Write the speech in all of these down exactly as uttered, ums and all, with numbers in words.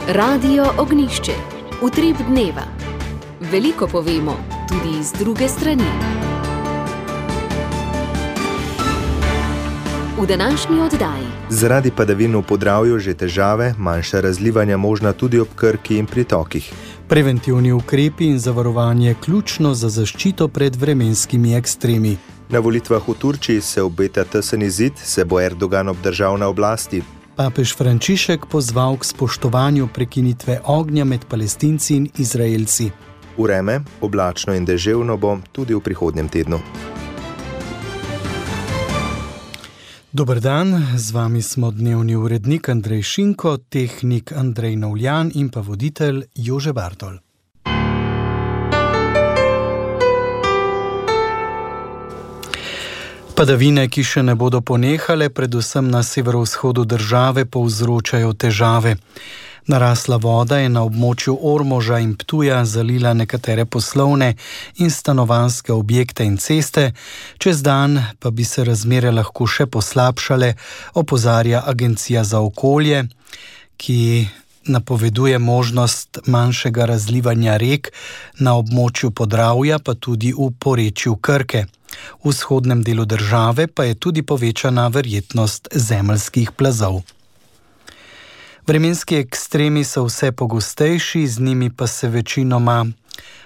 Radio Ognišče, utrip dneva. Veliko povemo, tudi iz druge strani. V današnji oddaji. Zaradi padavin v Podravju že težave, manjša razlivanja možna tudi ob Krki in pritokih. Preventivni ukrepi in zavarovanje ključno za zaščito pred vremenskimi ekstremi. Na volitvah v Turčiji se obeta tesen izid, se bo Erdogan obdržal na oblasti. Papež Frančišek pozval k spoštovanju prekinitve ognja med Palestinci in Izraelci. Vreme, oblačno in deževno bo tudi v prihodnjem tednu. Dober dan, z vami smo dnevni urednik Andrej Šinko, tehnik Andrej Novljan in pa voditelj Jože Bartol. Padavine, ki še ne bodo ponehale, predvsem na severovzhodu države, povzročajo težave. Narasla voda je na območju Ormoža in Ptuja zalila nekatere poslovne in stanovanjske objekte in ceste, čez dan pa bi se razmere lahko še poslabšale, opozarja Agencija za okolje, ki napoveduje možnost manjšega razlivanja rek na območju Podravja, pa tudi v porečju Krke. V vzhodnem delu države pa je tudi povečana verjetnost zemeljskih plazov. Vremenski ekstremi so vse pogostejši, z njimi pa se večinoma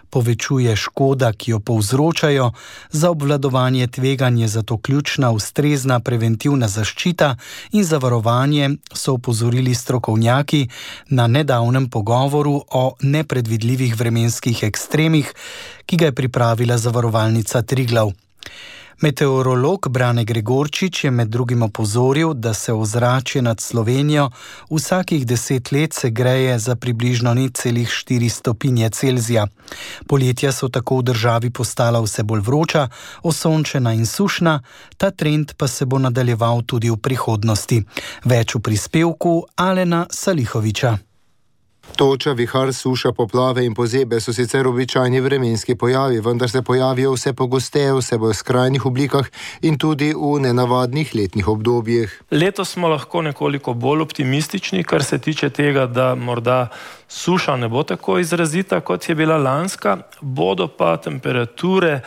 povečuje škoda, ki jo povzročajo. Za obvladovanje tveganja je zato ključna ustrezna preventivna zaščita in zavarovanje, so opozorili strokovnjaki na nedavnem pogovoru o nepredvidljivih vremenskih ekstremih, ki ga je pripravila zavarovalnica Triglav. Meteorolog Brane Gregorčič je med drugim opozoril, da se ozračje nad Slovenijo vsakih deset let segreje za približno nič celih štiri stopinje Celzija. Poletja so tako v državi postala vse bolj vroča, osončena in sušna, ta trend pa se bo nadaljeval tudi v prihodnosti. Več v prispevku Alena Salihoviča. Toča, vihar, suša, poplave in pozebe so sicer običajni vremenski pojavi, vendar se pojavijo vse pogosteje, vse bolj v skrajnih oblikah in tudi v nenavadnih letnih obdobjih. Letos smo lahko nekoliko bolj optimistični, kar se tiče tega, da morda suša ne bo tako izrazita, kot je bila lanska, bodo pa temperature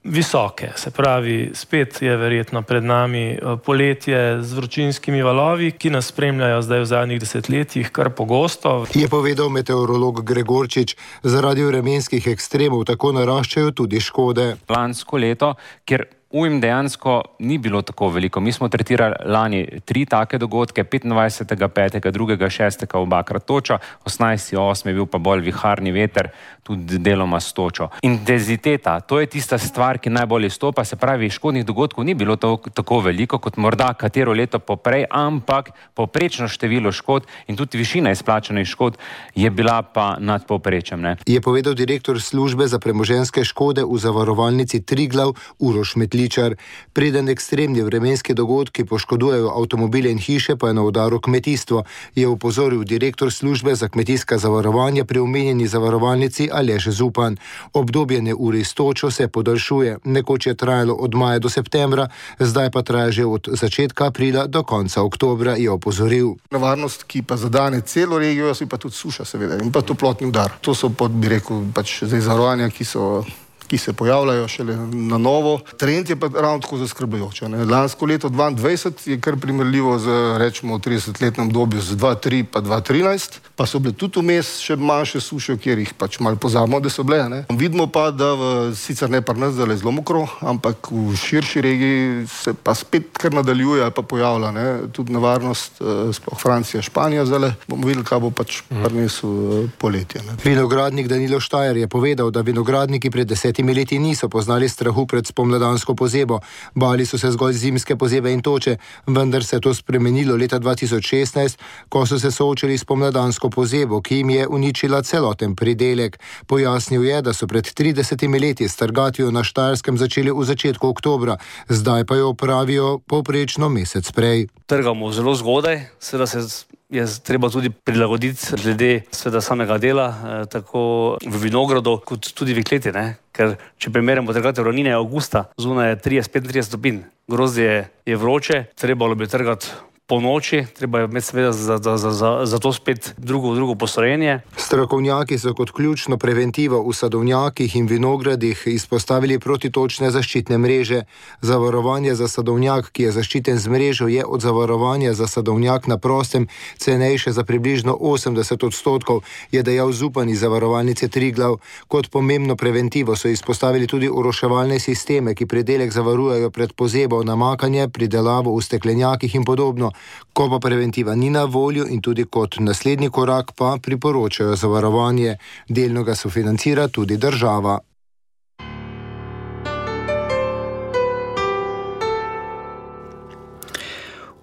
visoke, se pravi, spet je verjetno pred nami poletje z vročinskimi valovi, ki nas spremljajo zdaj v zadnjih desetletjih kar pogosto. Je povedal meteorolog Gregorčič, zaradi vremenskih ekstremov tako naraščajo tudi škode. Lansko leto, ker ujm dejansko ni bilo tako veliko. Mi smo tretirali lani tri take dogodke, petindvajsetega petega, drugega šestega obakrat toča, osemnajstega osmega je bil pa bolj viharni veter, tudi deloma s točo. Intenziteta, to je tista stvar, ki najbolj izstopa, se pravi, škodnih dogodkov ni bilo to, tako veliko, kot morda katero leto poprej, ampak poprečno število škod in tudi višina izplačanih škod je bila pa nad povprečjem, ne. Je povedal direktor službe za premoženjske škode v zavarovalnici Triglav Uroš Metličar. Preden ekstremni vremenski dogodki poškodujejo avtomobile in hiše, pa je na udaru kmetijstvo, je opozoril direktor službe za kmetijska zavarovanja pri omenjeni zavarovalnici Aleš Zupan. Obdobje neurij s točo se podaljšuje. Nekoč je trajalo od maja do septembra, zdaj pa traja že od začetka aprila do konca oktobra, je opozoril. Nevarnost, ki pa zadane celo regijo, je pa tudi suša, seveda, in pa toplotni udar. To so, pod, bi rekel, pač zdaj zavarovanja, ki so ki se pojavljajo šele na novo. Trend je pa ravno tako zaskrbljujoč. Lansko leto dvaindvajset je kar primerljivo z, rečemo, tridesetletnem obdobju z dva tri pa dva trinajst, pa so bile tudi vmes še manjše suše, kjer jih pač malo pozabimo, da so bile. Ne? Vidimo pa, da v, sicer ne pri nas zdaj zelo mokro, ampak v širši regiji se pa spet kar nadaljuje ali pa pojavlja, ne? Tudi nevarnost, sploh Francija, Španija zdaj. Bomo videli, kaj bo pač prinesel poletje. Ne? Vinogradnik Danilo Štajer je povedal, da vinogradniki pred deset leti niso poznali strahu pred spomladansko pozebo. Bali so se zgolj zimske pozebe in toče, vendar se je to spremenilo leta dva tisoč šestnajst, ko so se soočili s spomladansko pozebo, ki jim je uničila celoten pridelek. Pojasnil je, da so pred tridesetimi leti s trgatvijo na Štajerskem začeli v začetku oktobra, zdaj pa jo opravijo povprečno mesec prej. Trgamo zelo zgodaj, seveda se je treba tudi prilagoditi glede seveda samega dela, eh, tako v vinogradu, kot tudi v kleti, ne? Ker če primerjamo trgate ravnine avgusta, zunaj je trideset do petintrideset stopinj, grozdje je vroče, trebalo bi trgati po noči, treba je imeti seveda za, za, za, za, za to spet drugo, drugo postrojenje. Strokovnjaki so kot ključno preventivo v sadovnjakih in vinogradih izpostavili protitočne zaščitne mreže. Zavarovanje za sadovnjak, ki je zaščiten z mrežo, je od zavarovanja za sadovnjak na prostem cenejše za približno osemdeset odstotkov, je dejal župan iz Zavarovalnice Triglav. Kot pomembno preventivo so izpostavili tudi oroševalne sisteme, ki pridelek zavarujejo pred pozebo, namakanje, pridelavo v steklenjakih in podobno. Ko pa preventiva ni na voljo in tudi kot naslednji korak pa priporočajo zavarovanje. Delno ga sofinancira tudi država.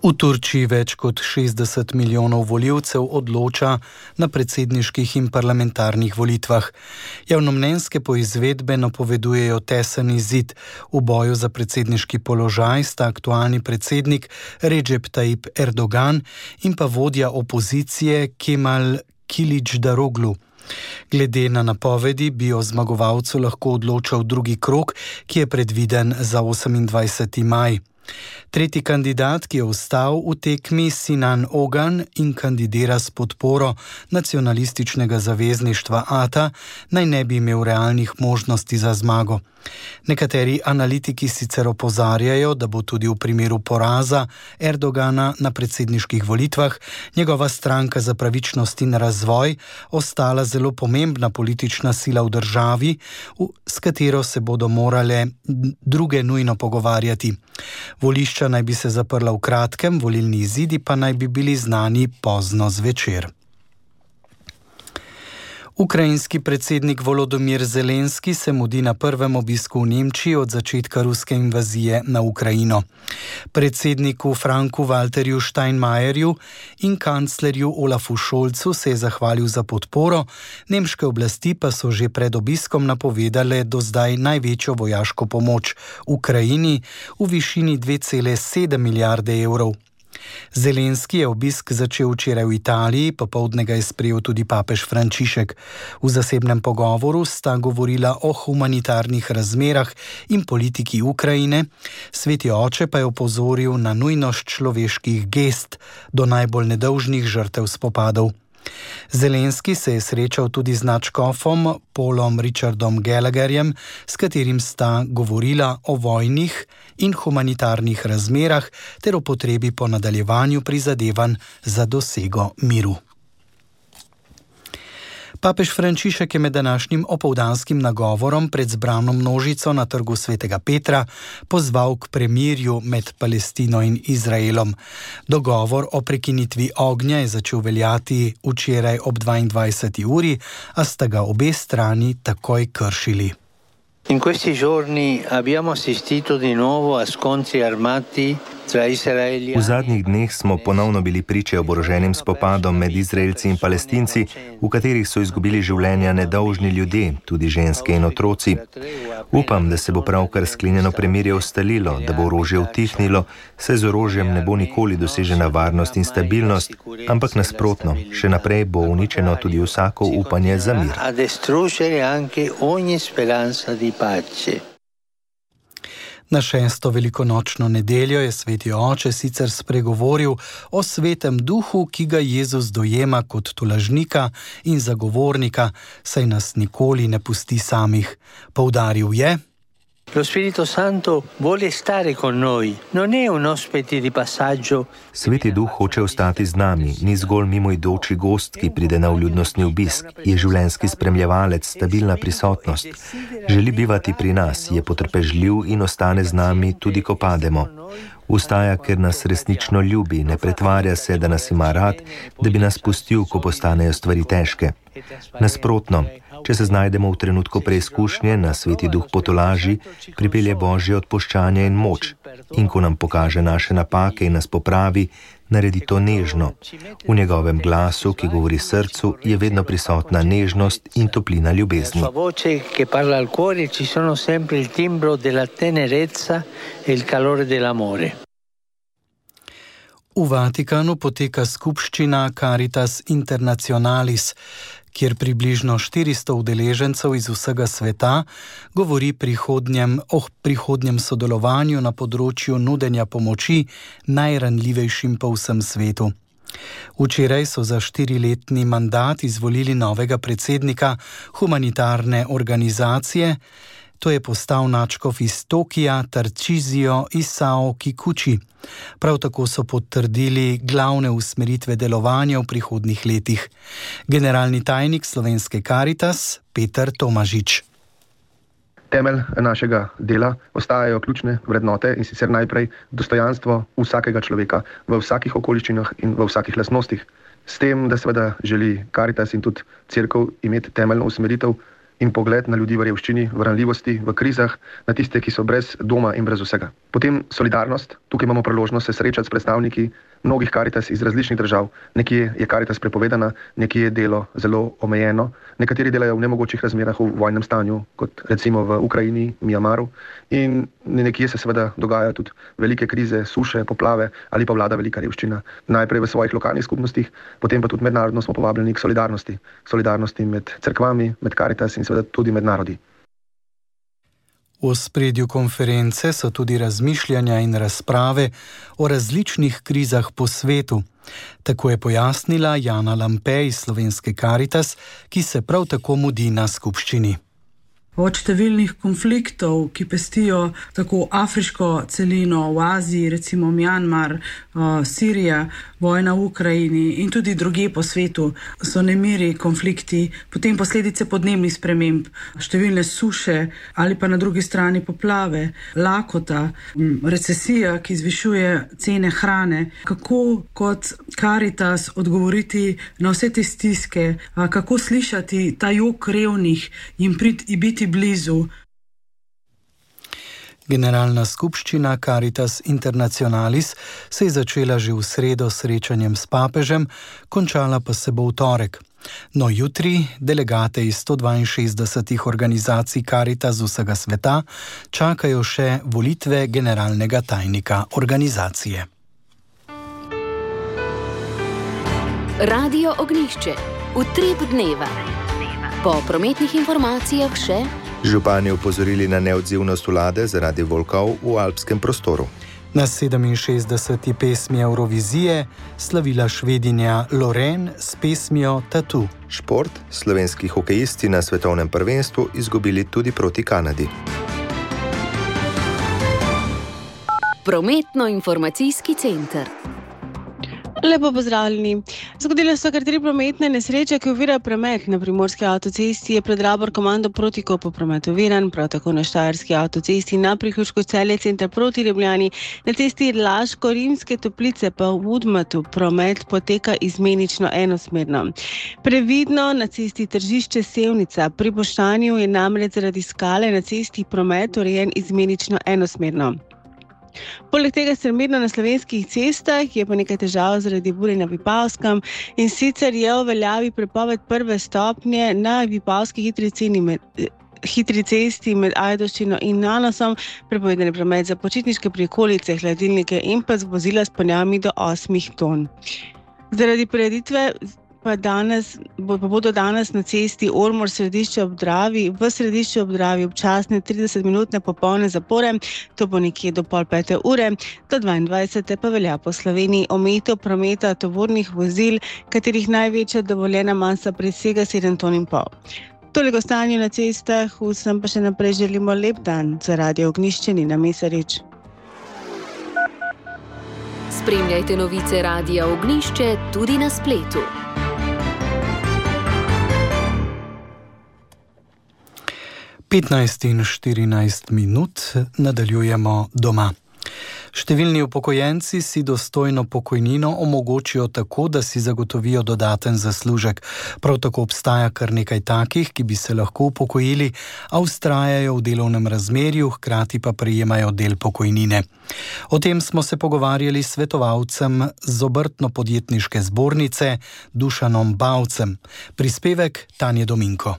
V Turčiji več kot šestdeset milijonov volivcev odloča na predsedniških in parlamentarnih volitvah. Javnomnenjske poizvedbe napovedujejo tesen izid. V boju za predsedniški položaj sta aktualni predsednik Recep Tayyip Erdogan in pa vodja opozicije Kemal Kılıçdaroğlu. Glede na napovedi bi o zmagovalcu lahko odločal drugi krog, ki je predviden za osemindvajseti maj. Tretji kandidat, ki je ostal v tekmi, Sinan Ogan in kandidira s podporo nacionalističnega zavezništva A T A, naj ne bi imel realnih možnosti za zmago. Nekateri analitiki sicer opozarjajo, da bo tudi v primeru poraza Erdogana na predsedniških volitvah njegova stranka za pravičnost in razvoj ostala zelo pomembna politična sila v državi, s katero se bodo morale druge nujno pogovarjati. Volišča naj bi se zaprla v kratkem, volilni izidi pa naj bi bili znani pozno zvečer. Ukrajinski predsednik Volodymyr Zelenski se mudi na prvem obisku v Nemčiji od začetka ruske invazije na Ukrajino. Predsedniku Franku Walterju Steinmeierju in kanclerju Olafu Scholzu se je zahvalil za podporo, nemške oblasti pa so že pred obiskom napovedale do zdaj največjo vojaško pomoč Ukrajini v višini dve cele sedem milijarde evrov. Zelenski je obisk začel včeraj v Italiji, popoldne ga je sprejel tudi papež Frančišek. V zasebnem pogovoru sta govorila o humanitarnih razmerah in politiki Ukrajine, Sveti oče pa je opozoril na nujnost človeških gest do najbolj nedolžnih žrtev spopadov. Zelenski se je srečal tudi z nadškofom Paulom Richardom Gallagherjem, s katerim sta govorila o vojnih in humanitarnih razmerah ter o potrebi po nadaljevanju prizadevanj za dosego miru. Papež Frančišek je med današnjim opoldanskim nagovorom pred zbrano množico na trgu Svetega Petra pozval k premirju med Palestino in Izraelom. Dogovor o prekinitvi ognja je začel veljati včeraj ob dvaindvajseti uri, a sta ga obe strani takoj kršili. In questi giorni abbiamo assistito di nuovo a scontri armati tra Israeli. V zadnjih dneh smo ponovno bili priče oboroženim spopadom med Izraelci in Palestinci, v katerih so izgubili življenja nedolžni ljudje, tudi ženske in otroci. Upam, da se bo pravkar sklenjeno premirje ustalilo, da bo orožje utihnilo, saj z orožjem ne bo nikoli dosežena varnost in stabilnost, ampak nasprotno, še naprej bo uničeno tudi vsako upanje za mir. A distruggere anche ogni speranza di pace. Na šesto velikonočno nedeljo je Sveti oče sicer spregovoril o svetem duhu, ki ga Jezus dojema kot tolažnika in zagovornika, saj nas nikoli ne pusti samih. Poudaril je: Lo Spirito Santo vuole stare con noi, non è un ospite di passaggio. Sveti duh hoče ostati z nami, ni zgolj mimoidoči gost, ki pride na vljudnostni obisk, je življenjski spremljevalec, stabilna prisotnost. Želi bivati pri nas, je potrpežljiv in ostane z nami tudi, ko pademo. Vstaja, ker nas resnično ljubi, ne pretvarja se, da nas ima rad, da bi nas pustil, ko postanejo stvari težke. Nasprotno, če se znajdemo v trenutku preizkušnje, nas Sveti duh potolaži, pripelje Božje odpuščanje in moč. In ko nam pokaže naše napake in nas popravi, naredi to nežno. V njegovem glasu, ki govori srcu, je vedno prisotna nežnost in toplina ljubezni. La sua voce che parla al cuore ci sono sempre il timbro della tenerezza e il calore dell'amore. V Vatikanu poteka skupščina Caritas Internationalis. kjer približno štiristo udeležencev iz vsega sveta govori prihodnjem, o prihodnjem sodelovanju na področju nudenja pomoči najranljivejšim po vsem svetu. Včeraj so za štiriletni mandat izvolili novega predsednika humanitarne organizacije. To je postal nadškof iz Tokija Tarcísio Isao Kikuchi. Prav tako so potrdili glavne usmeritve delovanja v prihodnjih letih. Generalni tajnik Slovenske Karitas Peter Tomažič. Temelj našega dela ostajajo ključne vrednote, in sicer najprej dostojanstvo vsakega človeka v vsakih okoliščinah in v vsakih lastnostih. S tem, da seveda želi Karitas in tudi cerkev imeti temeljno usmeritev in pogled na ljudi v revščini, v ranljivosti, v krizah, na tiste, ki so brez doma in brez vsega. Potem solidarnost. Tukaj imamo priložnost se srečati s predstavniki mnogih Karitas iz različnih držav. Nekje je Karitas prepovedana, nekje je delo zelo omejeno, nekateri delajo v nemogočih razmerah v vojnem stanju, kot recimo v Ukrajini, Mjanmaru, in nekje se seveda dogajajo tudi velike krize, suše, poplave ali pa vlada velika revščina. Najprej v svojih lokalnih skupnostih, potem pa tudi mednarodno smo povabljeni k solidarnosti. Solidarnosti med cerkvami, med Karitas in seveda tudi med narodi. V ospredju konference so tudi razmišljanja in razprave o različnih krizah po svetu. Tako je pojasnila Jana Lampe iz Slovenske Karitas, ki se prav tako mudi na skupščini. Od številnih konfliktov, ki pestijo tako afriško celino v Aziji, recimo Mjanmar, Sirija, vojna v Ukrajini in tudi drugje po svetu, so nemiri, konflikti, potem posledice podnebnih sprememb, številne suše ali pa na drugi strani poplave, lakota, recesija, ki zvišuje cene hrane. Kako kot Karitas odgovoriti na vse te stiske, kako slišati ta jok revnih, jim biti blizu. Generalna skupščina Caritas Internationalis se je začela že v sredo s srečanjem s papežem, končala pa se bo v torek. No, jutri delegate iz sto dvainšestdesetih organizacij Caritas z vsega sveta čakajo še volitve generalnega tajnika organizacije. Radio Ognjišče. Utrip dneva. Po prometnih informacijah še župani opozorili na neodzivnost vlade zaradi volkov v alpskem prostoru. Na sedeminšestdeseti pesmi Eurovizije slavila Švedinja Lorraine s pesmijo Tattoo. Šport. Slovenski hokejisti na svetovnem prvenstvu izgubili tudi proti Kanadi. Prometno-informacijski center. Lepo pozdravljeni. Zgodile so kar tri prometne nesreče, ki ovirajo promet. Na primorski avtocesti je pred Rabor komando Protikopu promet oviran, prav tako na štajerski avtocesti na priključku Celje center proti Ljubljani, na cesti Laško-Rimske Toplice pa v Udmatu promet poteka izmenično enosmerno. Previdno na cesti Tržišče Sevnica pri Boštanju je namreč zaradi skale na cesti promet urejen izmenično enosmerno. Poleg tega strmirno na slovenskih cestah je pa nekaj težav zaradi burje na Vipavskem, in sicer je v veljavi prepoved prve stopnje na Vipavski hitri ceni med hitri cesti med Ajdovščino in Nanosom, prepovedan je promet za počitniške prikolice, hladilnike in pa z vozila s ponjami do osmih ton. Zaradi prireditve pa, danes, pa bodo danes na cesti Ormož središče ob Dravi, v središču ob Dravi občasne tridesetminutne popolne zapore, to bo nekje do pol pete ure, do dvaindvajsete pa velja po Sloveniji omejitev prometa tovornih vozil, katerih največja dovoljena masa presega sedem ton in pol. Toliko stanju na cestah, vsem pa še naprej želimo lep dan. Za Radio Ognjišče Nina Mesarič. Spremljajte novice Radia Ognjišče tudi na spletu. petnajst in štirinajst minut, nadaljujemo doma. Številni upokojenci si dostojno pokojnino omogočijo tako, da si zagotovijo dodaten zaslužek. Prav tako obstaja kar nekaj takih, ki bi se lahko upokojili, a vztrajajo v delovnem razmerju, hkrati pa prejemajo del pokojnine. O tem smo se pogovarjali s svetovalcem z Obrtno-podjetniške zbornice Dušanom Bavcem. Prispevek Tanje Dominko.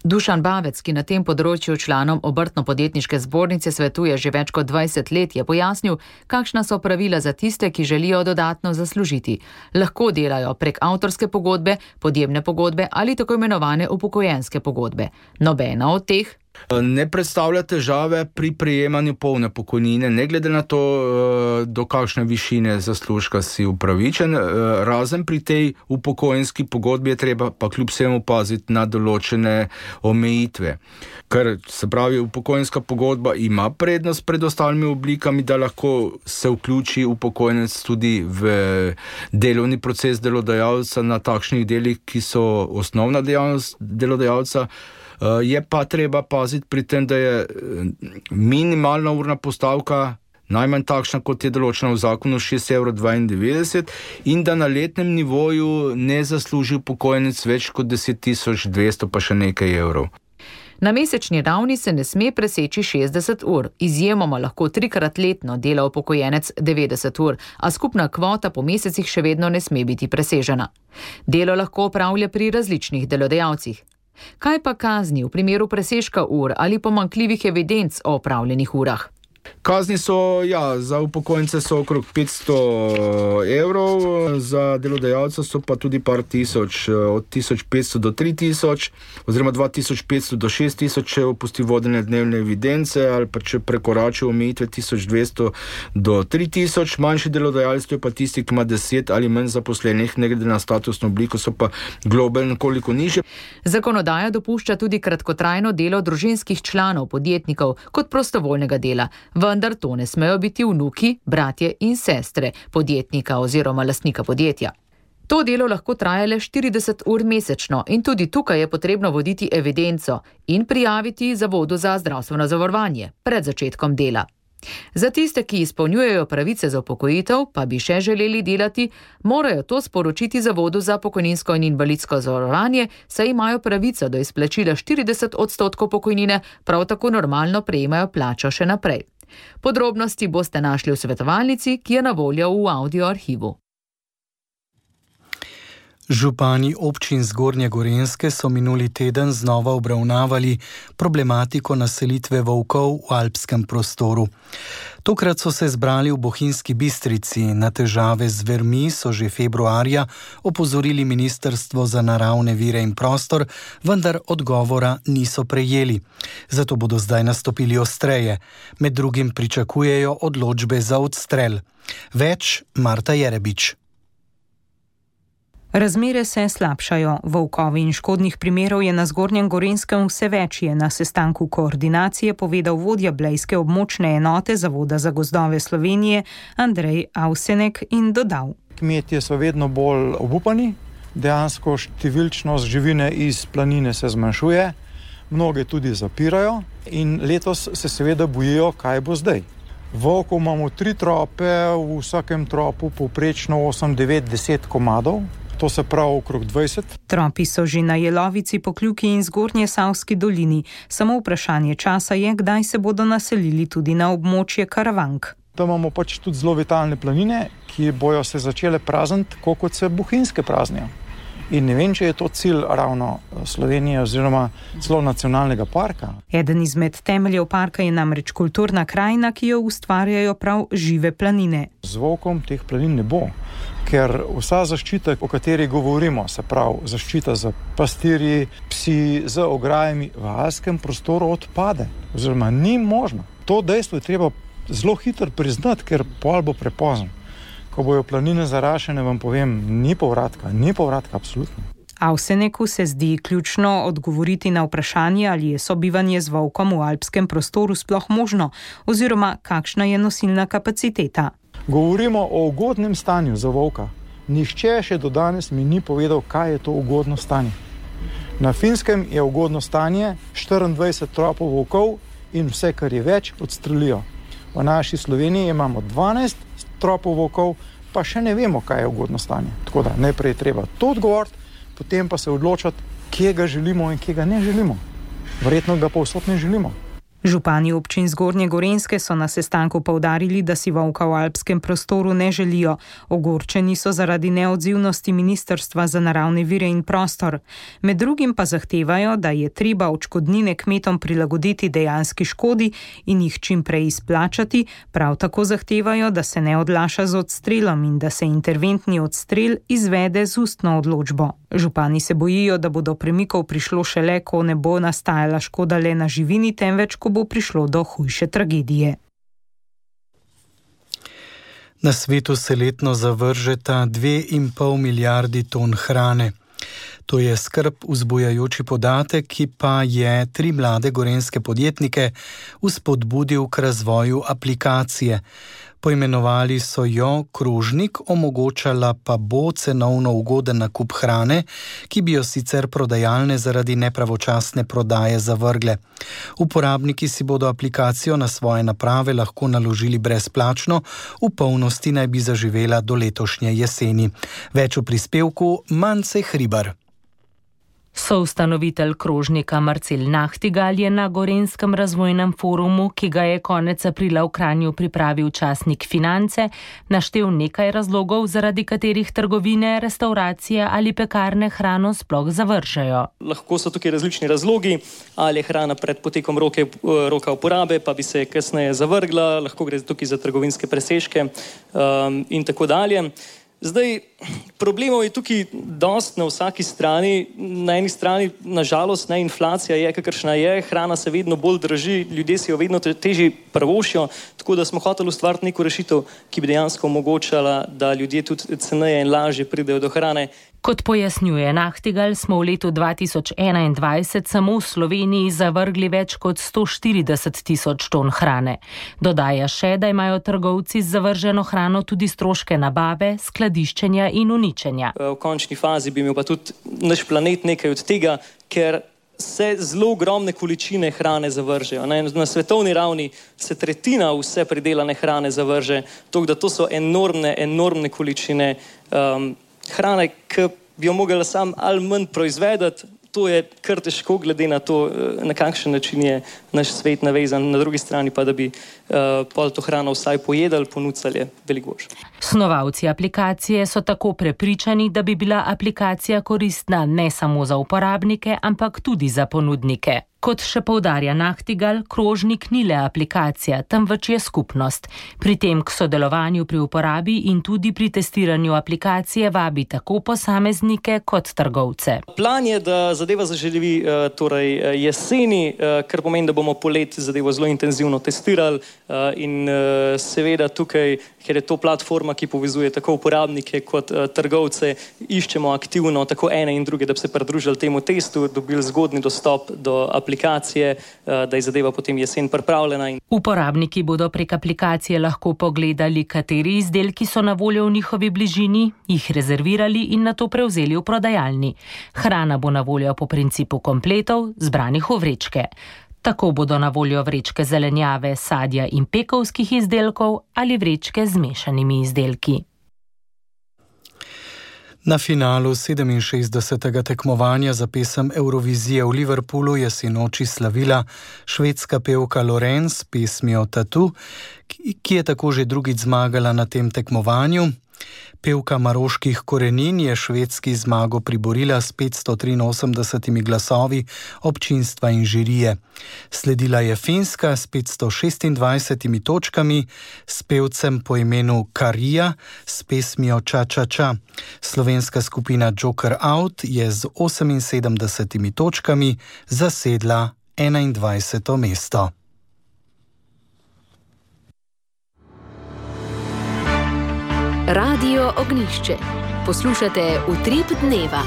Dušan Bavec, ki na tem področju članom Obrtno-podjetniške zbornice svetuje že več kot dvajset let, je pojasnil, kakšna so pravila za tiste, ki želijo dodatno zaslužiti. Lahko delajo prek avtorske pogodbe, podjemne pogodbe ali tako imenovane upokojenske pogodbe. Nobena od teh ne predstavlja težave pri prejemanju polne pokojnine, ne glede na to, do kakšne višine zaslužka si upravičen. Razen pri tej upokojenski pogodbi je treba pa kljub vsemu paziti na določene omejitve. Ker se pravi, upokojenska pogodba ima prednost pred ostalimi oblikami, da lahko se vključi upokojenec tudi v delovni proces delodajalca na takšnih delih, ki so osnovna dejavnost delodajalca. Je pa treba paziti pri tem, da je minimalna urna postavka najmanj takšna, kot je določena v zakonu, šest evrov dvaindevetdeset, in da na letnem nivoju ne zasluži upokojenec več kot deset tisoč dvesto pa še nekaj evrov. Na mesečni ravni se ne sme preseči šestdeset ur, izjemoma lahko trikrat letno dela upokojenec devetdeset ur, a skupna kvota po mesecih še vedno ne sme biti presežena. Delo lahko opravlja pri različnih delodajalcih. Kaj pa kazni v primeru presežka ur ali pomanjkljivih evidenc o opravljenih urah? Kazni so, ja, za upokojence so okrog petsto evrov, za delodajalca so pa tudi par tisoč, od tisoč petsto do tri tisoč, oziroma dva tisoč petsto do šest tisoč, če opusti vodenje dnevne evidence, ali pa če prekorači omejitve tisoč dvesto do tri tisoč. Manjši delodajalci, to je pa tisti, ki ima deset ali manj zaposlenih, ne glede na statusno obliko, so pa globe nekoliko nižje. Zakonodaja dopušča tudi kratkotrajno delo družinskih članov podjetnikov kot prostovoljnega dela. Vendar to ne smejo biti vnuki, bratje in sestre podjetnika oziroma lastnika podjetja. To delo lahko traja le štirideset ur mesečno in tudi tukaj je potrebno voditi evidenco in prijaviti Zavodu za zdravstveno zavarovanje pred začetkom dela. Za tiste, ki izpolnjujejo pravice za upokojitev, pa bi še želeli delati, morajo to sporočiti Zavodu za pokojninsko in invalidsko zavarovanje, saj imajo pravico do izplačila štirideset odstotkov pokojnine, prav tako normalno prejemajo plačo še naprej. Podrobnosti boste našli v svetovalnici, ki je na voljo v audio arhivu. Župani občin Zgornje Gorenjske so minuli teden znova obravnavali problematiko naselitve volkov v alpskem prostoru. Tokrat so se zbrali v Bohinjski Bistrici. Na težave z zvermi so že februarja opozorili Ministrstvo za naravne vire in prostor, vendar odgovora niso prejeli. Zato bodo zdaj nastopili ostreje. Med drugim pričakujejo odločbe za odstrel. Več Marta Jerebič. Razmere se slabšajo. Volkovi in škodnih primerov je na Zgornjem Gorenjskem vse več, je na sestanku koordinacije povedal vodja blejske območne enote Zavoda za gozdove Slovenije Andrej Avsenek in dodal. Kmetje so vedno bolj obupani, dejansko številčnost živine iz planine se zmanjšuje, mnoge tudi zapirajo in letos se seveda bojijo, kaj bo zdaj. Volkov imamo tri trope, v vsakem tropu povprečno osem, devet, deset komadov. To se pravi okrog dvajset. Tropi so že na Jelovici, Pokljuki in Zgornje Savski dolini. Samo vprašanje časa je, kdaj se bodo naselili tudi na območje Karavank. Tam imamo pač tudi zelo vitalne planine, ki bojo se začele prazniti, tako kot se Bohinjske praznijo. In ne vem, če je to cilj ravno Slovenije oziroma celo nacionalnega parka. Eden izmed temeljev parka je namreč kulturna krajina, ki jo ustvarjajo prav žive planine. Z volkom teh planin ne bo, ker vsa zaščita, o kateri govorimo, se pravi zaščita za pastirji, psi, z ograjami, v alpskem prostoru odpade, oziroma ni možno. To dejstvo je treba zelo hitro priznati, ker pol bo prepozno. Ko bojo planine zarašene, vam povem, ni povratka, ni povratka, absolutno. Avseneku se zdi ključno odgovoriti na vprašanje, ali je sobivanje z volkom v alpskem prostoru sploh možno, oziroma kakšna je nosilna kapaciteta. Govorimo o ugodnem stanju za volka. Nihče še do danes mi ni povedal, kaj je to ugodno stanje. Na Finskem je ugodno stanje štiriindvajset tropov volkov in vse, kar je več, odstrelijo. V naši Sloveniji imamo dvanajst tropov volkov, pa še ne vemo, kaj je ugodno stanje. Tako da najprej treba to odgovoriti, potem pa se odločiti, kje ga želimo in kje ga ne želimo. Verjetno ga povsod ne želimo. Župani občin Zgornje Gorenjske so na sestanku poudarili, da si volka v alpskem prostoru ne želijo. Ogorčeni so zaradi neodzivnosti Ministrstva za naravne vire in prostor. Med drugim pa zahtevajo, da je treba odškodnine kmetom prilagoditi dejanski škodi in jih čim prej izplačati. Prav tako zahtevajo, da se ne odlaša z odstrelom in da se interventni odstrel izvede z ustno odločbo. Župani se bojijo, da bo do premikov prišlo šele, ko ne bo nastajala škoda le na živini, temveč ko bo prišlo do hujše tragedije. Na svetu se letno zavržeta dve in pol milijardi ton hrane. To je skrb vzbujajoči podatek, ki pa je tri mlade gorenjske podjetnike vzpodbudil k razvoju aplikacije. Poimenovali so jo Krožnik, omogočala pa bo cenovno ugoden nakup hrane, ki bi jo sicer prodajalne zaradi nepravočasne prodaje zavrgle. Uporabniki si bodo aplikacijo na svoje naprave lahko naložili brezplačno, v polnosti naj bi zaživela do letošnje jeseni. Več v prispevku Mance Hribar. Soustanovitelj Krožnika Marcel Nahtigal je na Gorenjskem razvojnem forumu, ki ga je konec aprila v Kranju pripravil časnik Finance, naštel nekaj razlogov, zaradi katerih trgovine, restauracije ali pekarne hrano sploh zavržejo. Lahko so tukaj različni razlogi, ali je hrana pred potekom roke, roka uporabe, pa bi se kasneje zavrgla, lahko gre tukaj za trgovinske presežke um, in tako dalje. Zdaj, problemov je tukaj dost na vsaki strani. Na eni strani, nažalost, ne, inflacija je, kakršna je, hrana se vedno bolj draži, ljudje si jo vedno težje prvošijo, tako da smo hoteli ustvariti neko rešitev, ki bi dejansko omogočala, da ljudje tudi ceneje in lažje pridejo do hrane. Kot pojasnjuje Nahtigal, smo v letu dva tisoč enaindvajset samo v Sloveniji zavrgli več kot sto štirideset tisoč ton hrane. Dodaja še, da imajo trgovci z zavrženo hrano tudi stroške nabave, skladiščenja in uničenja. V končni fazi bi imel pa tudi naš planet nekaj od tega, ker se zelo ogromne količine hrane zavržejo. Na svetovni ravni se tretjina vse pridelane hrane zavrže, tako da to so enormne, enormne količine um, hrane, ki bi jo mogla sam ali manj proizvedati. To je kar težko, glede na to, na kakšen način je naš svet navezan. Na drugi strani pa, da bi uh, pol to hrano vsaj pojedali, ponudili, veliko boljše. Snovalci aplikacije so tako prepričani, da bi bila aplikacija koristna ne samo za uporabnike, ampak tudi za ponudnike. Kot še poudarja Nahtigal, Krožnik ni le aplikacija, temveč je skupnost. Pri tem k sodelovanju pri uporabi in tudi pri testiranju aplikacije vabi tako posameznike kot trgovce. Plan je, da zadeva zaživi torej jeseni, kar pomeni, da bomo poleti zadevo zelo intenzivno testirali in seveda tukaj, ker je to platforma, ki povezuje tako uporabnike kot trgovce, iščemo aktivno tako ene in druge, da bi se pridružili temu testu, dobili zgodni dostop do aplikacije. aplikacije, da je zadeva potem jesen pripravljena. Uporabniki bodo prek aplikacije lahko pogledali, kateri izdelki so na voljo v njihovi bližini, jih rezervirali in nato prevzeli v prodajalni. Hrana bo na voljo po principu kompletov, zbranih v vrečke. Tako bodo na voljo vrečke zelenjave, sadja in pekovskih izdelkov ali vrečke z mešanimi izdelki. Na finalu sedeminšestdesetega tekmovanja za pesem Eurovizije v Liverpoolu je sinoči slavila švedska pevka Lorenz s pesmijo Tattoo, ki je tako že drugič zmagala na tem tekmovanju. Pevka maroških korenin je švedski zmago priborila s petsto triinosemdesetimi glasovi občinstva in žirije. Sledila je Finska s petsto šestindvajsetimi točkami, s pevcem po imenu Karija s pesmijo Ča Ča Ča. Slovenska skupina Joker Out je z oseminsedemdesetimi točkami zasedla enaindvajseto mesto. Radio Ognjišče. Poslušate Utrip dneva.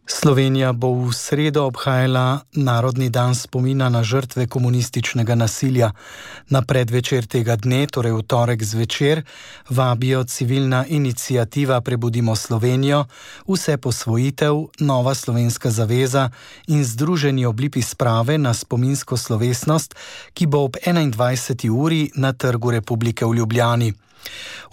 Slovenija bo v sredo obhajala Narodni dan spomina na žrtve komunističnega nasilja. Na predvečer tega dne, torej v torek zvečer, vabijo civilna iniciativa Prebudimo Slovenijo, Vse posvojitev, Nova slovenska zaveza in Združeni oblipi sprave na spominsko slovesnost, ki bo ob enaindvajseti uri na Trgu Republike v Ljubljani.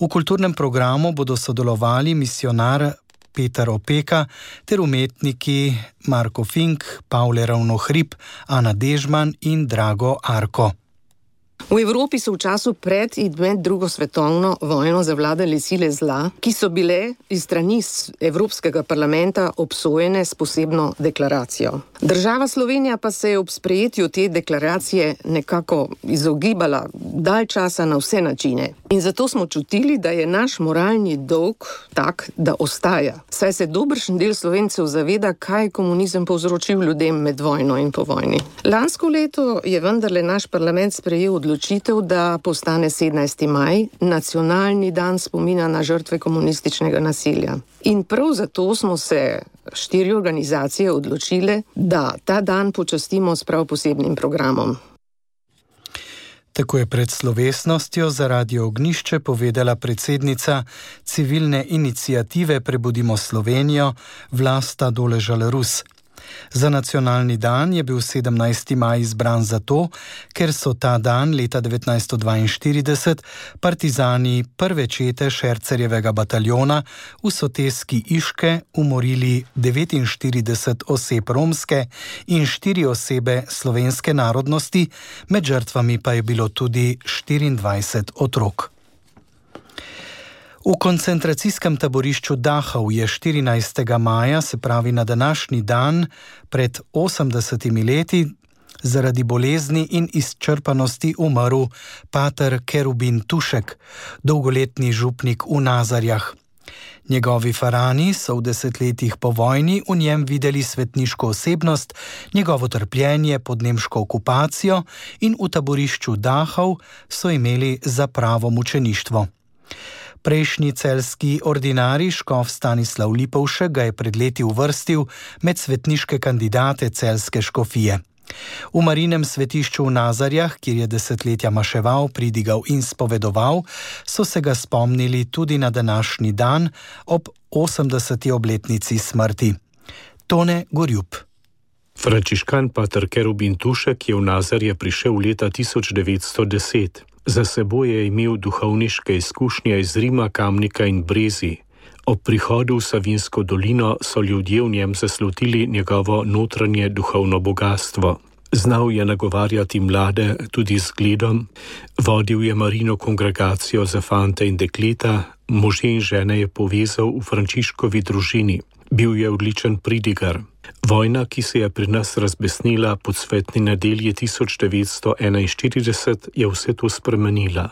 V kulturnem programu bodo sodelovali misionar Peter Opeka ter umetniki Marko Fink, Pavle Ravnohrib, Ana Dežman in Drago Arko. V Evropi so v času pred in med drugo svetovno vojno zavladale sile zla, ki so bile iz strani Evropskega parlamenta obsojene s posebno deklaracijo. Država Slovenija pa se je ob sprejetju te deklaracije nekako izogibala dalj časa na vse načine. In zato smo čutili, da je naš moralni dolg tak, da ostaja. Saj se dobršen del Slovencev zaveda, kaj je komunizem povzročil ljudem med vojno in po vojni. Lansko leto je vendarle naš parlament sprejel odločitev, da postane sedemnajsti maj nacionalni dan spomina na žrtve komunističnega nasilja. In prav zato smo se štiri organizacije odločile, da ta dan počastimo s prav posebnim programom. Tako je pred slovesnostjo za Radio Ognjišče povedala predsednica civilne iniciative Prebudimo Slovenijo Vlasta Doležal-Rus. Za nacionalni dan je bil sedemnajsti maj izbran zato, ker so ta dan leta devetnajststo dvainštirideset partizani prve čete Šercerjevega bataljona v soteski Iške umorili devetinštirideset oseb romske in štiri osebe slovenske narodnosti, med žrtvami pa je bilo tudi štiriindvajset otrok. V koncentracijskem taborišču Dachau je štirinajstega maja, se pravi na današnji dan, pred osemdesetimi leti, zaradi bolezni in izčrpanosti umrl pater Kerubin Tušek, dolgoletni župnik v Nazarjah. Njegovi farani so v desetletjih po vojni v njem videli svetniško osebnost, njegovo trpljenje pod nemško okupacijo in v taborišču Dachau so imeli za pravo mučeništvo. Prejšnji celjski ordinarij škof Stanislav Lipovšek ga je pred leti uvrstil med svetniške kandidate celjske škofije. V Marinem svetišču v Nazarjah, kjer je desetletja maševal, pridigal in spovedoval, so se ga spomnili tudi na današnji dan ob osemdeseti obletnici smrti. Tone Gorjup. Frančiškan pater Kerubin Tušek je v Nazarje prišel leta tisoč devetsto deset. Za seboj je imel duhovniške izkušnje iz Rima, Kamnika in Brezi. Ob prihodu v Savinjsko dolino so ljudje v njem zaslutili njegovo notranje duhovno bogatstvo. Znal je nagovarjati mlade tudi z zgledom, vodil je Marino kongregacijo za fante in dekleta, može in žene je povezal v Frančiškovi družini. Bil je odličen pridigar. Vojna, ki se je pri nas razbesnila po cvetni nedelji tisoč devetsto enainštirideset, je vse to spremenila.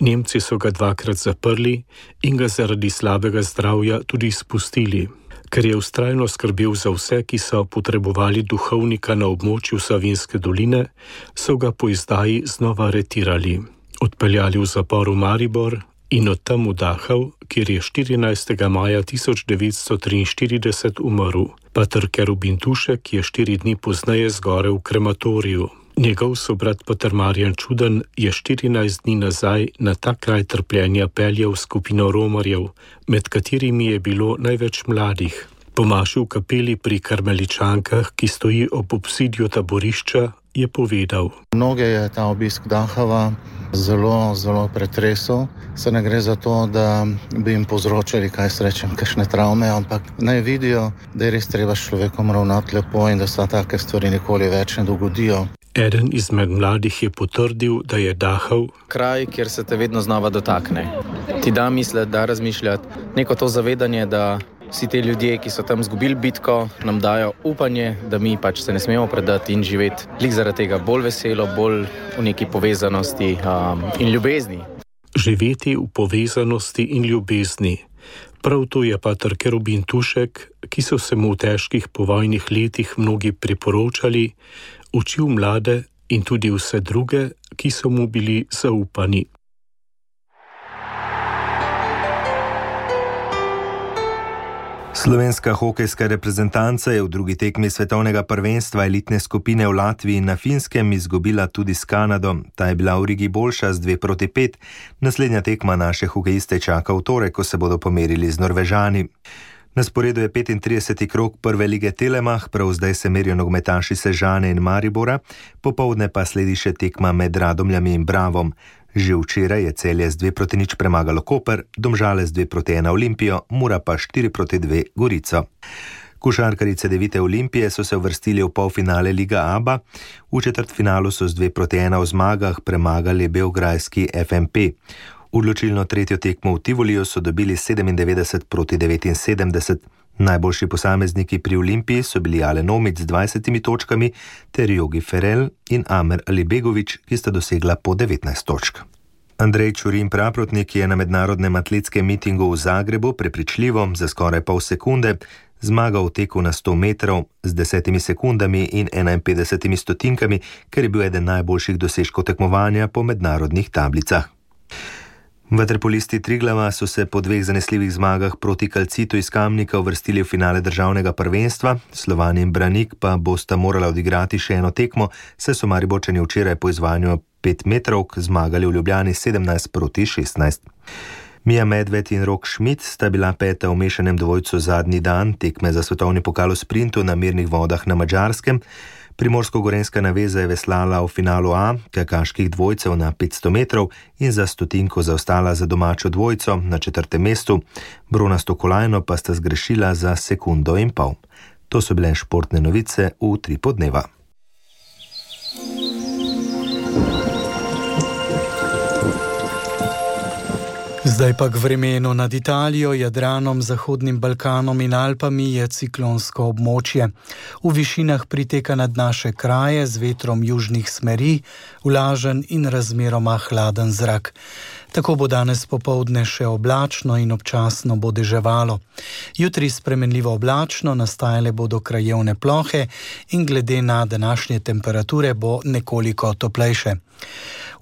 Nemci so ga dvakrat zaprli in ga zaradi slabega zdravja tudi izpustili. Ker je vztrajno skrbel za vse, ki so potrebovali duhovnika na območju Savinjske doline, so ga po izdaji znova aretirali, odpeljali v zapor v Maribor in od tam v Dachau, kjer je štirinajstega maja tisoč devetsto triinštirideset umrl. Pater Kerubin Tušek je štiri dni pozneje zgorel v krematoriju. Njegov sobrat pater Marjan Čuden je štirinajst dni nazaj na ta kraj trpljenja peljal skupino romarjev, med katerimi je bilo največ mladih. Pomaši v kapeli pri Karmeličankah, ki stoji ob obzidju taborišča, je povedal: Mnoge je ta obisk Dachava zelo, zelo pretresel. Se ne gre za to, da bi jim povzročali, kaj se rečem, kakšne travme, ampak naj vidijo, da je res treba s človekom ravnati lepo in da se take stvari nikoli več ne dogodijo. Eden izmed mladih je potrdil, da je Dachau kraj, kjer se te vedno znova dotakne. Ti da misliti, da razmišljati, neko to zavedanje, da vsi te ljudje, ki so tam izgubili bitko, nam dajo upanje, da mi pač se ne smemo predati in živeti lik zaradi tega bolj veselo, bolj v neki povezanosti um, in ljubezni. Živeti v povezanosti in ljubezni. Prav to je pater Kerubin Tušek, ki so se mu v težkih povojnih letih mnogi priporočali, učil mlade in tudi vse druge, ki so mu bili zaupani. Slovenska hokejska reprezentanca je v drugi tekmi svetovnega prvenstva elitne skupine v Latviji in na Finskem izgubila tudi s Kanado. Ta je bila v Rigi boljša z dve proti pet. Naslednja tekma naše hokejiste čaka v torek, ko se bodo pomerili z Norvežani. Na sporedu je petintrideseti krog prve lige Telemach, prav zdaj se merijo nogometaši Sežane in Maribora, popoldne pa sledi še tekma med Radomljami in Bravom. Že včeraj je Celje z dve proti nič premagalo Koper, Domžale z dve proti ena Olimpijo, Mura pa štiri proti dve Gorico. Košarkarice Devite Olimpije so se uvrstili v polfinale Liga Aba, v četrtfinalu so z dve proti ena v zmagah premagali beograjski F M P. Odločilno tretjo tekmo v Tivoliju so dobili sedemindevetdeset proti devetinsedemdeset. Najboljši posamezniki pri Olimpiji so bili Alen Omić z dvajsetimi točkami ter Jogi Ferel in Amer Alibegović, ki sta dosegla po devetnajst točk. Andrej Čurin Praprotnik je na mednarodnem atletskem mitingu v Zagrebu prepričljivo za skoraj pol sekunde zmagal v teku na sto metrov z desetimi sekundami in enainpetdesetimi stotinkami, ker je bil eden najboljših dosežkov tekmovanja po mednarodnih tablicah. Vaterpolisti Triglava so se po dveh zanesljivih zmagah proti Kalcitu iz Kamnika uvrstili v finale državnega prvenstva, Slovan in Branik pa bosta morala odigrati še eno tekmo, saj so Mariborčani včeraj po izvajanju pet metrovk zmagali v Ljubljani sedemnajst proti šestnajst. Mija Medved in Rok Schmidt sta bila peta v mešanem dvojcu zadnji dan tekme za svetovni pokal v sprintu na mirnih vodah na Madžarskem. Primorsko-gorenska naveza je veslala v finalu A kajakaških dvojcev na petsto metrov in za stotinko zaostala za domačo dvojco na četrtem mestu. Bronasto kolajno pa sta zgrešila za sekundo in pol. To so bile športne novice v tri podneva. Zdaj pa k vremenu. Nad Italijo, Jadranom, Zahodnim Balkanom in Alpami je ciklonsko območje. V višinah priteka nad naše kraje z vetrom južnih smeri, vlažen in razmeroma hladen zrak. Tako bo danes popoldne še oblačno in občasno bo deževalo. Jutri spremenljivo oblačno, nastajale bodo krajevne plohe in glede na današnje temperature bo nekoliko toplejše.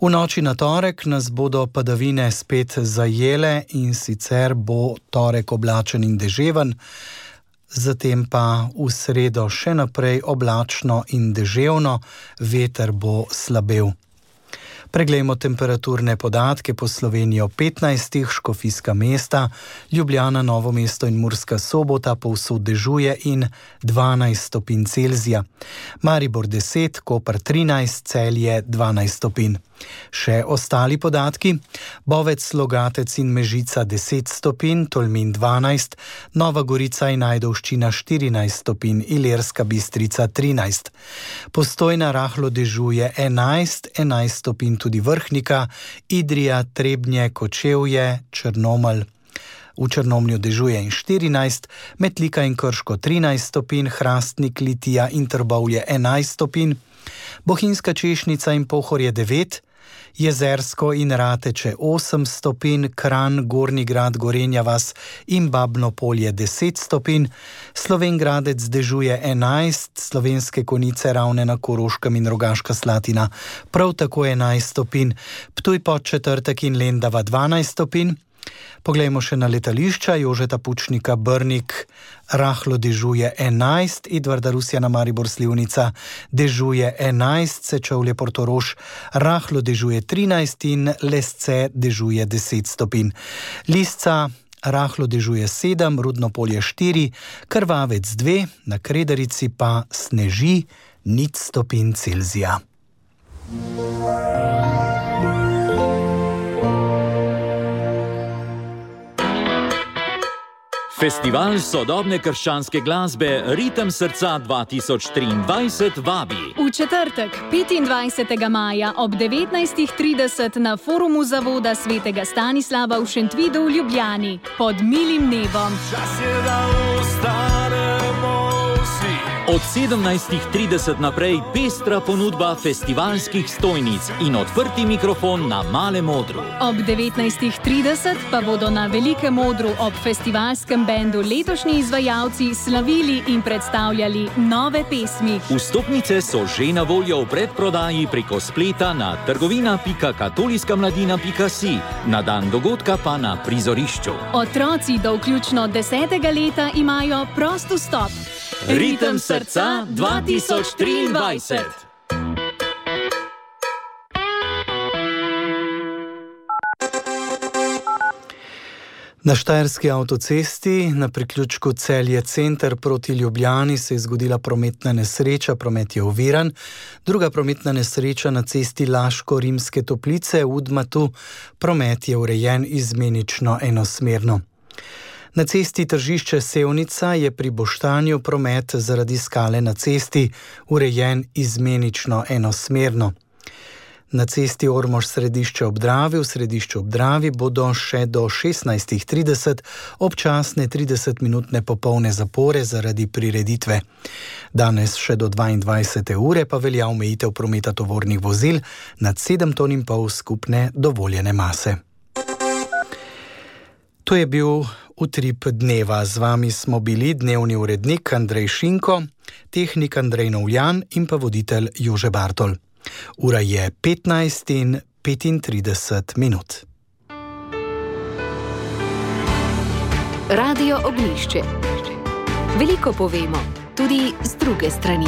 V noči na torek nas bodo padavine spet zajele in sicer bo torek oblačen in deževen, zatem pa v sredo še naprej oblačno in deževno, veter bo slabel. Preglejmo temperaturne podatke po Slovenijo. petnajst Škofijska mesta, Ljubljana, Novo mesto in Murska Sobota povsod dežuje in dvanajst stopinj Celzija. Maribor deset, Koper trinajst, Celje dvanajst stopinj. Še ostali podatki. Bovec, Logatec in Mežica deset stopinj, Tolmin dvanajst, Nova Gorica in Ajdovščina štirinajst stopinj, Ilirska Bistrica trinajst. Postojna rahlo dežuje enajst, enajst stopinj tudi Vrhnika, Idrija, Trebnje, Kočevje, Črnomelj. V Črnomlju dežuje in štirinajst, Metlika in Krško trinajst stopinj, Hrastnik, Litija in Trbovlje enajst stopinj, Bohinjska Češnica in Pohorje devet, Jezersko in Rateče osem stopinj, Kranj, Gornji Grad, Gorenja vas in Babno Polje deset stopinj, Slovenj Gradec dežuje enajst, Slovenske Konjice, Ravne na Koroškem in Rogaška Slatina prav tako enajst stopinj, Ptuj Podčetrtek in Lendava dvanajst stopinj. Poglejmo še na letališča. Jožeta Pučnika Brnik rahlo dežuje enajst, Edvarda Rusjana Maribor Slivnica dežuje enajst, Sečovlje Portorož rahlo dežuje trinajst in Lesce dežuje deset stopinj. Lisca rahlo dežuje sedem, Rudno Polje štiri, Krvavec dve, na Kredarici pa sneži nič stopinj Celzija. Festival sodobne krščanske glasbe Ritem srca dva tisoč triindvajset vabi. V četrtek, petindvajsetega maja ob devetnajst trideset na forumu Zavoda svetega Stanislava v Šentvidu v Ljubljani pod milim nebom. Čas je, da ostanemo vsi. Od sedemnajst trideset naprej pestra ponudba festivalskih stojnic in odprti mikrofon na Malem odru. Ob devetnajst trideset pa bodo na Velikem odru ob festivalskem bendu letošnji izvajalci slavili in predstavljali nove pesmi. Vstopnice so že na voljo v predprodaji preko spleta na trgovina pika katoliska mladina pika si, na dan dogodka pa na prizorišču. Otroci do vključno desetega leta imajo prost vstop. Ritem srca dva tisoč triindvajset. Na Štajerski avtocesti na priključku Celje center proti Ljubljani se je zgodila prometna nesreča, promet je oviran. Druga prometna nesreča na cesti Laško-Rimske Toplice v Udmatu, promet je urejen izmenično enosmerno. Na cesti Tržišče Sevnica je pri Boštanju promet zaradi skale na cesti urejen izmenično enosmerno. Na cesti Ormož-Središče ob Dravi v Središču ob Dravi bodo še do šestnajstih trideset občasne tridesetminutne popolne zapore zaradi prireditve. Danes še do dvaindvajsete ure pa velja omejitev prometa tovornih vozil nad sedem ton in pol skupne dovoljene mase. To je bil Utrip dneva. Z vami smo bili dnevni urednik Andrej Šinko, tehnik Andrej Novljan in pa voditelj Jože Bartol. Ura je petnajst in petintrideset minut. Radio Ognjišče. Veliko povemo, tudi z druge strani.